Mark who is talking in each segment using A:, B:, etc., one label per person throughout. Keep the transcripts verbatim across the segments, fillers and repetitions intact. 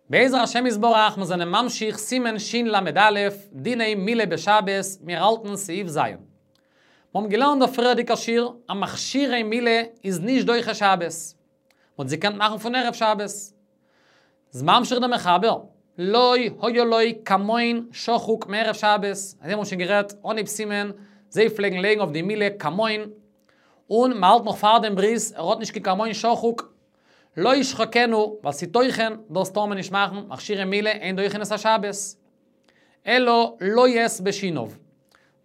A: בעזר השם יתברך, מיר זענען ממשיך סימן של"א, דיני מילה בשבת, מיר האלטן סעיף ז'. מיר האבן געלערנט דער פריערדיגער שיעור, א מכשירי מילה איז נישט דוחה שבת. מ'האט זי געקענט מאכן פון ערב שבת. איז ממשיך דער מחבר, לא היה לו כמון שחוק מערב שבת, אזוי האבן מיר שוין גערעדט אנהייב סימן, זיי פלעגן לייגן אויף די מילה כמון, און מ'האלט נאך פאר דעם ברית, ער האט נישט קיין כמון שחוק, לא ישחקנו, ווייל ס'איז טוחן, דאס טאר מען נישט מאכן, מכשירי מילה אין דוחין את השבת. אלא לועס בשיניו.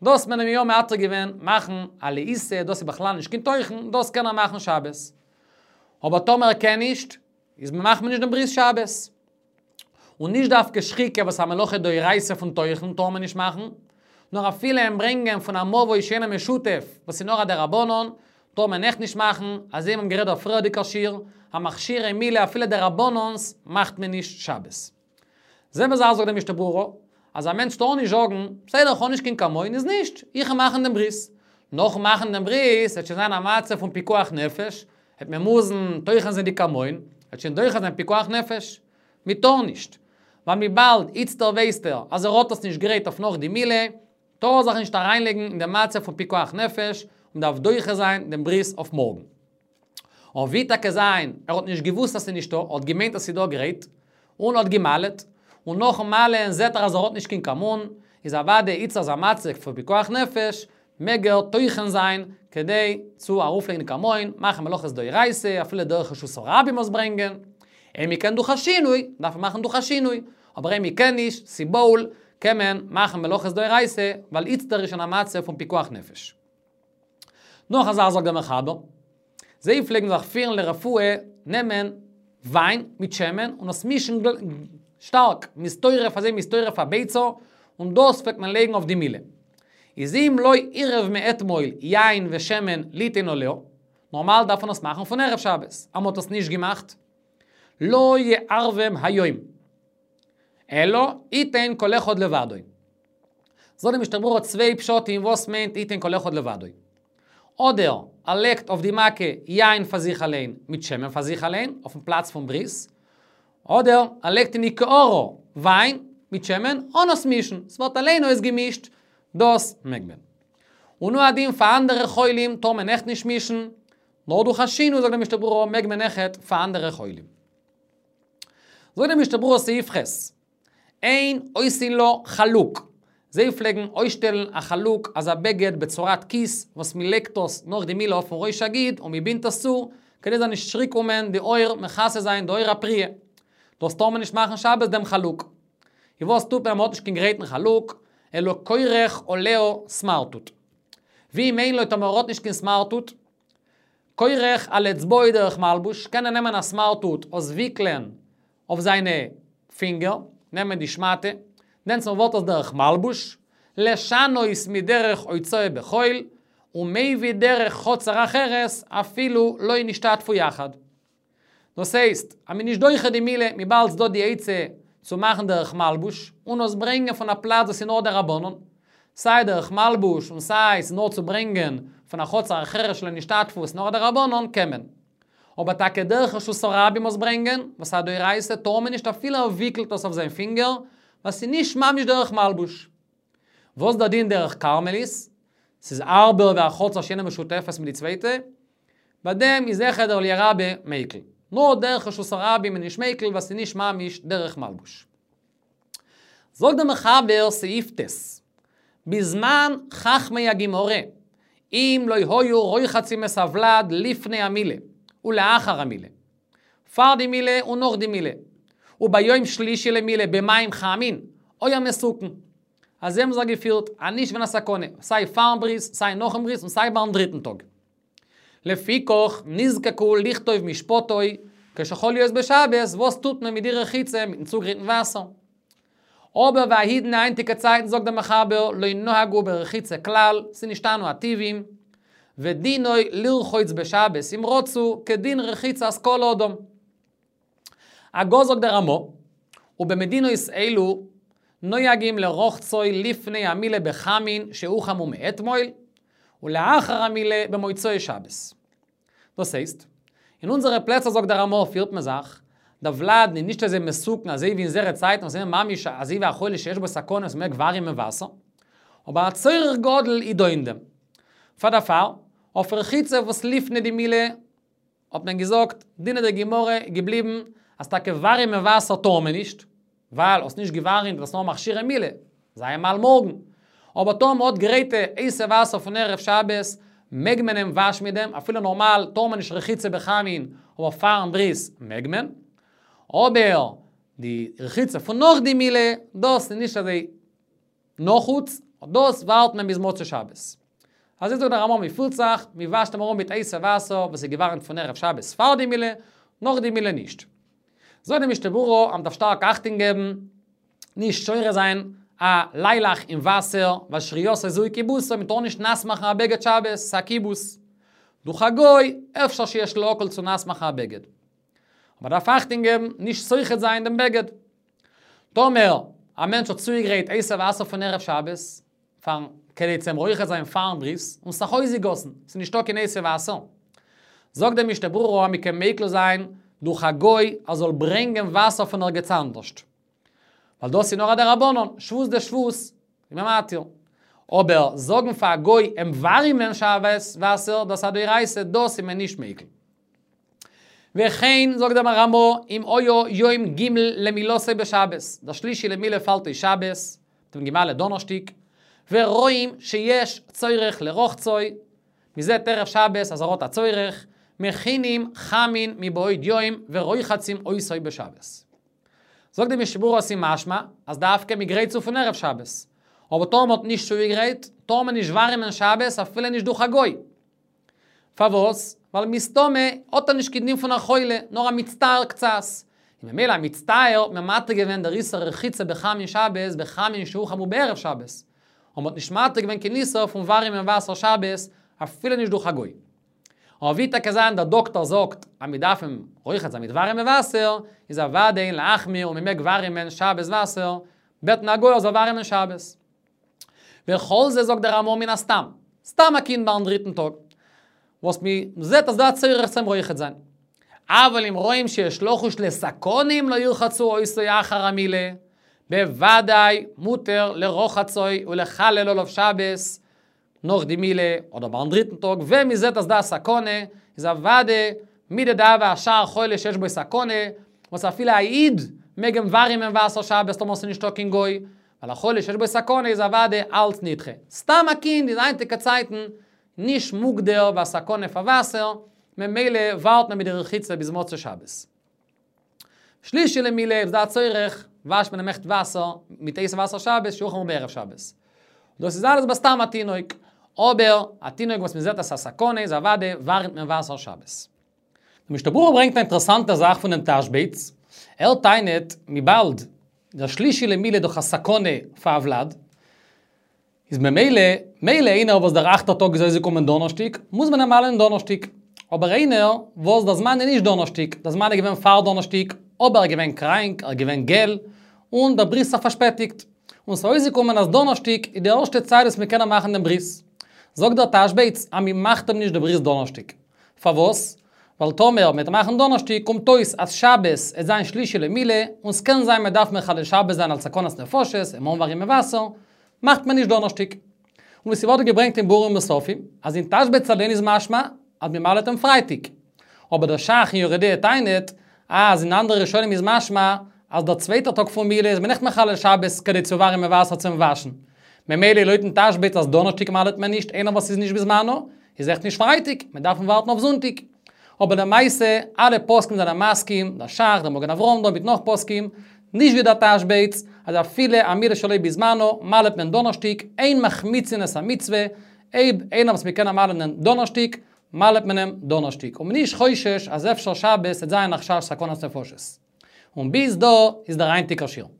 A: דאס מען אים יא מתיר געווען מאכן א לעיסה, דאס איז בכלל נישט קיין טוחן, דאס קען ער מאכן שבת. אבער טאמער ער קען נישט, איז מאכט מען נישט דעם ברית שבת. און נישט דווקא שחיקה וואס א מלאכה דאורייתא פון טוחן טאר מען נישט מאכן, נאר אפילו אים ברענגען פון א מבוי שאינו משותף וואס איז נאר א דרבנן, טאר מען אויך נישט מאכן, אזוי האבן גערעדט דער פריערדיגער שיעור, המכשירי מילה אפילו דרבנן'ס מאכט מען נישט שבת. זעלבע זאך זאגט דער משנה ברורה, אז א מענטש טאר נישט זאגן, בסדר איך האב נישט קיין כמון איז נישט, איך וועל מאכן דעם ברית. נאכן מאכן דעם ברית וועט שוין זיין א מצב פון פיקוח נפש, וועט מען מוזן טוחן זיין די כמון, וועט שוין דוחה זיין פיקוח נפש. מען טאר נישט. ווייל וויבאלד איצטער ווייסט ער אז ער האט עס נישט גרייט אויף נאך די מילה, טאר ער זיך נישט אריינלייגן אין דעם מצב פון פיקוח נפש, און דארף דוחה זיין דעם ברית אויף מארגן. און ווי טאקע זיין, ער האט נישט געוואוסט אז ס'איז נישטא, ער האט געמיינט אז ס'איז דא גרייט, און האט גע'מל'ט, און נאכ'ן מל'ען זעט ער אז ער האט נישט קיין כמון, איז אוודאי איצטער איז א מצב פון פיקוח נפש, מעג ער טוחן זיין, כדי צו ארויפלייגן די כמון, מאכן מלאכות דאורייתא, אפילו דורך רשות הרבים עס ברענגען. אויב מ'קען דורך א שינוי, דארף מען מאכן דורך א שינוי, אבער אויב מ'קען נישט, ס'בהול, קען מען מאכן מלאכות דאורייתא, ווייל איצטער איז שוין א מצב פון פיקוח נפש. נאך א זאך זאגט דער מחבר, זיי פלעגן זיך פירן לרפואה נעמען וויין מיט שמן און עס מישן שטארק, מ'איז טורף אזוי מ'איז טורף א ביצה, און דאס פלעגט מען לייגן אויף די מילה. איז אם לא עירב מאתמול יין ושמן ליתן עליה, נארמאל דארף מען עס מאכן פון ערב שבת, אז מ'האט עס נישט געמאכט, לא יערבם היום, אלא יתן כל אחד לבדו. זאגט די משנה ברורה צוויי פשטים וואס מיינט יתן כל אחד לבדו. אדער ער לייגט אויף די מכה יין פאר זיך אליין מיט שמן פאר זיך אליין אויפן פלאץ פון ברית, אדער ער לייגט אין די קערה וויין מיט שמן אן עס מישן, ס'ווערט אליין אויסגעמישט, דאס מעג מען. און הוא הדין פאר אנדערע חולים טאר מען אויכט נישט מישן, נאר דורך א שינוי זאגט די משנה ברורה מעג מען אויכעט פאר אנדערע חולים. זאגט די משנה ברורה סעיף ח', אין עושין לו חלוק, זיי פלעגן אויסשטעלן א חלוק אזא בגד בצורת כיס וואס מען לייגט עס נאך די מילה אויפן ראש הגיד און מען בינדט עס צו כדי זאל נישט צוריק קומען די עור מכסה זיין די עור הפריעה. דאס טאר מען נישט מאכן שבת דעם חלוק. און וואס טוט מען אז מען האט נישט קיין גרייטן חלוק, אלא כורך עליה סמרטוט. ואם אין לו טאמער ער האט נישט קיין סמרטוט, כורך על אצבעו דרך מלבוש, קען ער נעמען א סמרטוט עס וויקלען אויף זיינע פינגער, נעמען די שמאטע, דענסמאל ווערט עס דרך מלבוש, לשנות מדרך הוצאה בחול, ומביא דרך חצר אחרת, אפילו לא נשתתפו יחד. דאס הייסט, אז מ'איז נישט דוחה די מילה, וויבאלד ס'דא די עצה צו מאכן דרך מלבוש, און עס ברענגען פון א פלאץ וואס איז נאר דרבנן, סיי דרך מלבוש און סיי ס'איז נאר צו ברענגען פון א חצר אחרת שלא נשתתפו וואס נאר דרבנן קען מען. אבער טאקע דרך רשות הרבים עס ברענגען, וואס א דאורייתא טאר מען נישט אפילו ער וויקלט עס אויף זיין פינגער, ווייל ס'איז נישט ממש דרך מלבוש. וואס דער דין דרך כרמלית? ס'איז הארבער ווי א חצר שאינה משותפת מיט די צווייטע, ביי דעם איז אויכעט דער אליה רבה מיקל. נאר דרך רשות הרבים איז נישט מיקל ווייל ס'איז נישט ממש דרך מלבוש. זאגט דער מחבר סעיף ט', בזמן חכמי הגמרא, אם לא היו רוחצים את הוולד לפני המילה ולאחר המילה, פאר די מילה און נאך די מילה, וביום שלישי למילה במים חמין, היה מתוקן. אזוי האבן זיך געפירט, אז נישט געווען א סכנה, סיי פארן ברית, סיי נאכן ברית און סיי ביים דריטן טאג. לפיכך נזקקו לכתוב משפטו כשחל להיות בשבת, וואס טוט מען מיט די רחיצה מיטן צוגרייטן וואסער? אבער והאידנא היינטיגע צייטן זאגט דער מחבר לא נהגו ברחיצה כלל, ס'איז נשתנו הטבעים, ודינו לרחוץ בשבת אם רצו, כדין רחיצת כל אדם. הגה זאגט דער רמא, ובמדינות אלו נוהגים לרחצו לפני המילה בחמין שהוחמו מאתמול, ולאחר המילה במוצאי שבת. דאס הייסט, אין אונזערע פלעצער זאגט דער רמא פירט מען זיך, דער ולד איז נישט אזוי מסוכן, אזוי ווי אין זייערע צייטן, וואס איז ממש אזוי ווי א חולה שיש בו סכנה, וואס מ'מעג ווארימען וואסער. אבער א צורך גדול איז דא אין דעם. פאר דערפאר, אויף רחיצה וואס לפני די מילה, האט מען געזאגט, דינא דגמרא געבליבן, אז טאקע ווארימען וואסער טאר מען נישט, ווייל האסט נישט געווארימט, דאס נאר מכשירי מילה, זיי מל מארגן. אבער טאמער מ'האט גרייטע הייסע וואסער פון ערב שבת, מעג מען אים וואשן מיט דעם, אפילו נארמאל טאר מען נישט רחיצה בחמין, אבער פארן ברית מעג מען. אבער די רחיצה פון נאך די מילה, דאס איז נישט אזוי נחוץ, דאס ווארט מען ביז מוצאי שבת. אזוי זאגט דער רמ"א מ'פירט זיך, מ'וואשט אים ארום מיט הייסע וואסער וואס איז געווארעמט פון ערב שבת פאר די מילה, נאך די מילה נישט. זאגט דער משנה ברורה, אז מ'דארף שטארק אכטונג געבן, נישט שורה זיין א ליילעך אין וואסער, ווייל שרייתו זו היא כיבוסו, מ'טאר נישט נאס מאכן א בגד שבת, ס'איז א כיבוס. דורך א גוי, אפשר שיש להקל צו נאס מאכן א בגד. אבער דארף אכטונג געבן, נישט סוחט זיין דעם בגד. טאמער א מענטש האט צוגעגרייט הייסע וואסער פון ערב שבת, פארן, כדי צו רוחץ זיין פארן ברית, און ס'איז אויסגעגאסן, ס'איז נישטא קיין הייסע וואסער. זאגט דער משנה ברורה, מ'קען מיקל זיין דורך א גוי, ער זאל ברענגען וואסער פון ערגעץ אנדערשט. ווייל דאס איז נאר א דרבנן, שבות דשבות, איז מען מתיר. אבער זאגן פאר א גוי אים ווארימען שבת וואסער, דאס איז א דאורייתא, דאס איז מען נישט מיקל. וכן, זאגט דער רמ"א, אם היה יום ג' למילתו בשבת, דער שלישי למילה פאלט אויס שבת, מ'האט געמל'עט דאנערשטיק, ורואים שיש צורך לרחצו, מ'זעט ערב שבת אז ער האט א צורך, מכינים חמין מבעוד יום ורוחצים אותו בשבת. זאגט די משנה ברורה ס'איז משמע אז דווקא מ'גרייט צו פון ערב שבת. אבער טאמער מ'האט נישט צוגעגרייט, טאר מען נישט ווארימען שבת אפילו נישט דורך א גוי. פארוואס? ווייל מסתמא האט ער נישט קיין דין פון א חולה, נאר א מצטער קצת. און ממילא א מצטער האט מען מתיר געווען דער איסור רחיצה בחמין שבת בחמין שהוחמו בערב שבת. און מ'האט נישט מתיר געווען קיין איסור פון ווארימען וואסער שבת אפילו נישט דורך א גוי. אבער ווי טאקע זיין דער דאקטאר זאגט אז מ'דארף אים רוחץ זיין מיט ווארימע וואסער, איז אוודאי אין להחמיר און מ'מעג ווארימען שבת וואסער, בעטן א גוי ער זאל ווארימען שבת. וכל זה זאגט דער רמ"א מן הסתם, סתם א קינד ביים דריטן טאג, וואס מ'זעט אז דא א צורך צו אים רוחץ זיין. אבל אם רואים שיש לחוש לסכנה אם לא ירחצו אותו אחר המילה, בוודאי מותר לרחצו ולחלל עליו שבת, נאך די מילה, אדער ביים דריטן טאג, ווען מ'זעט אז דא א סכנה, איז אוודאי מידי דהוה אשאר חולה שיש בו סכנה, וואס אפילו א איד מעג אים ווארימען וואסער שבת טאמער ס'איז נישטא קיין גוי, ווייל א חולה שיש בו סכנה איז אוודאי אלץ נדחה. סתם א קינד איז היינטיגע צייטן נישט מוגדר ווי א סכנה פאר וואסער, ממילא ווארט מען מיט די רחיצה ביז מוצאי שבת. שלישי למילה איז דא א צורך, וואשט מען אים עכט וואסער, מיט הייסע וואסער שבת, שהוחמו בערב שבת. דאס איז אלעס בסתם א תינוק. אבער א תינוק וואס מען זעט אז ס'איז א סכנה איז אוודאי ווארימט מען וואסער שבת. דער משנה ברורה ברענגט א אינטערעסאנטע זאך פונעם תשבץ, ער טענה'ט וויבאלד דער שלישי למילה איז דאך א סכנה פאר א ולד, איז ממילא, מילא איינער וואס דער אכטער טאג איז אויסגעקומען דאנערשטיג, מוז מען אים מל'ען דאנערשטיג. אבער איינער וואס דער זמן איז נישט דאנערשטיג, דער זמן איז געווען פאר דאנערשטיג, אבער ער איז געווען קראנק, ער איז געווען געל, און דער ברית האט פארשפעטיגט. און ס'איז אויסגעקומען אז דאנערשטיג איז די ערשטע צייט וואס מ'קען אים מאכן דעם ברית. זאגט דער תשבץ אז מ'מאכט אים נישט די ברית דאנערשטיג. פארוואס? ווייל טאמער מ'וועט מאכן דאנערשטיג קומט אויס אז שבת עט זיין שלישי למילה, און ס'קען זיין מ'דארף מחלל שבת זיין אלס סכנת נפשות, אים אנווארימען וואסער, מאכט מען נישט דאנערשטיג. און ווי ס'ווערט געברענגט אין ביאורים נוספים, אז אין תשבץ אליין איז משמע אז מ'מל'עט אים פרייטאג. אבער דער ש"ך אין יורה דעה טענה'ט אז אין אנדערע ראשונים איז משמע אז דער צווייטער טאג פון מילה איז מען נישט מחלל שבת כדי צו ווארימען וואסער צום וואשן. ממילא לויטן תשבץ אז דאנערשטיג מל'עט מען נישט איינער וואס איז נישט בזמנו, איז עכט נישט פרייטאג, מען דארף ווארטן אויף זונטאג. אבער למעשה, אלע פוסקים זענען מסכים, דער ש"ך, דער מגן אברהם דא מיט נאך פוסקים, נישט ווי דער תשבץ, אז אפילו א מילה שלא בזמנו, מל'עט מען דאנערשטיג, אין מחמיצין את המצוה, אויב איינער וואס מ'קען אים מל'ענען דאנערשטיג, מל'עט מען אים דאנערשטיג, און מ'נישט חושש אז אפשר שבת וועט זיין א חשש סכנת נפשות. און ביז דא איז דער היינטיגער שיעור.